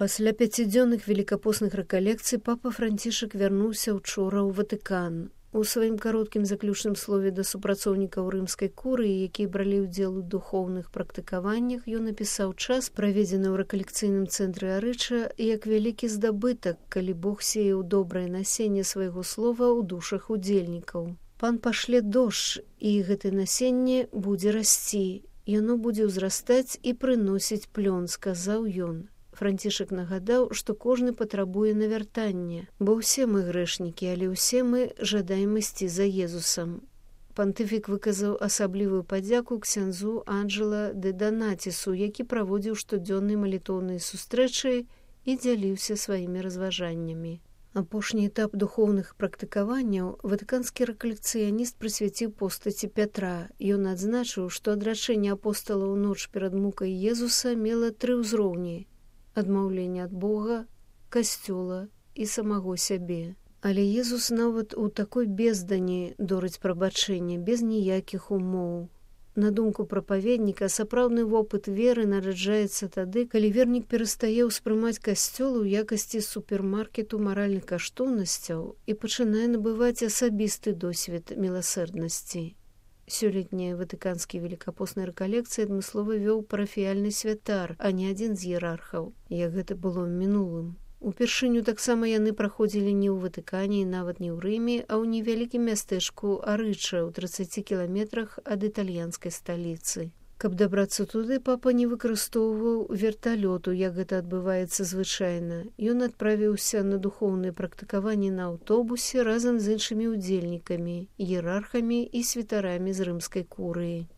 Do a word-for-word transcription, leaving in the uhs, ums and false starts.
Пасля пяцідзённых велікапостных рэкалекцый папа Францішак вярнуўся учора ў Ватыкан. У сваім кароткім заключным слове да супрацоўнікаў рымскай курыі, якія бралі ўдзел у духоўных практыкаваннях, ён напісаў час, праведзены ў рэкалекцыйным цэнтры Арыча, як вялікі здабытак, калі Бог сеяў добрае насенне свайго слова ў душах удзельнікаў. Пан пашле дождж, і гэтае насенне будзе расці. Яно будзе ўзрастаць і прыносіць плён, сказаў ён. Францішак нагадаў, што кожны патрабуе навяртання, бо ўсе мы грэшнікі, але ўсе мы жадаем ісці за Езусам. Пантыфік выказаў асаблівую падзяку ксяндзу Анджела де Донатісу, які праводзіў штодзённыя малітоўныя сустрэчы і дзяліўся сваімі разважаннямі. Апошні этап духоўных практыкаванняў ватыканскі рэкалекцыяніст прысвяціў постаці Пятра. Ён адзначыў, што адрачэнне апостала ў ноч перад мукай Езуса мела тры ўзроўні: адмаўленне ад Бога, касцёла і самого сябе. Але Езус нават у такой бездані дорыць прабачэння, без ніякіх умоў. На думку прапаведніка, сапраўдны вопыт веры нараджаецца тады, калі вернік перастае ўспрымаць касцёл у якасці супермаркету маральных каштоўнасцяў і пачынае набываць асабісты досвед міласэрднасці. Сёлетняя ватыканскі велікапостная рэкалекцыя адмыслова вёў парафіяльны святар, а не адзін з іерархаў, як гэта было ў мінулым. Упершыню таксама яны праходзілі не ў Ватыкане і нават не ў Рыме, а ў невялікім мястэчку Арыча ў трыццаці кіламетрах ад італьянскай сталіцы. Каб дабрацца туды, папа не выкарыстоўваў верталёту, як гэта адбываецца звычайна. Ён адправіўся на духоўныя практыкаванні на аўтобусе разам з іншымі ўдзельнікамі, іерархамі і святарамі з рымскай курыі.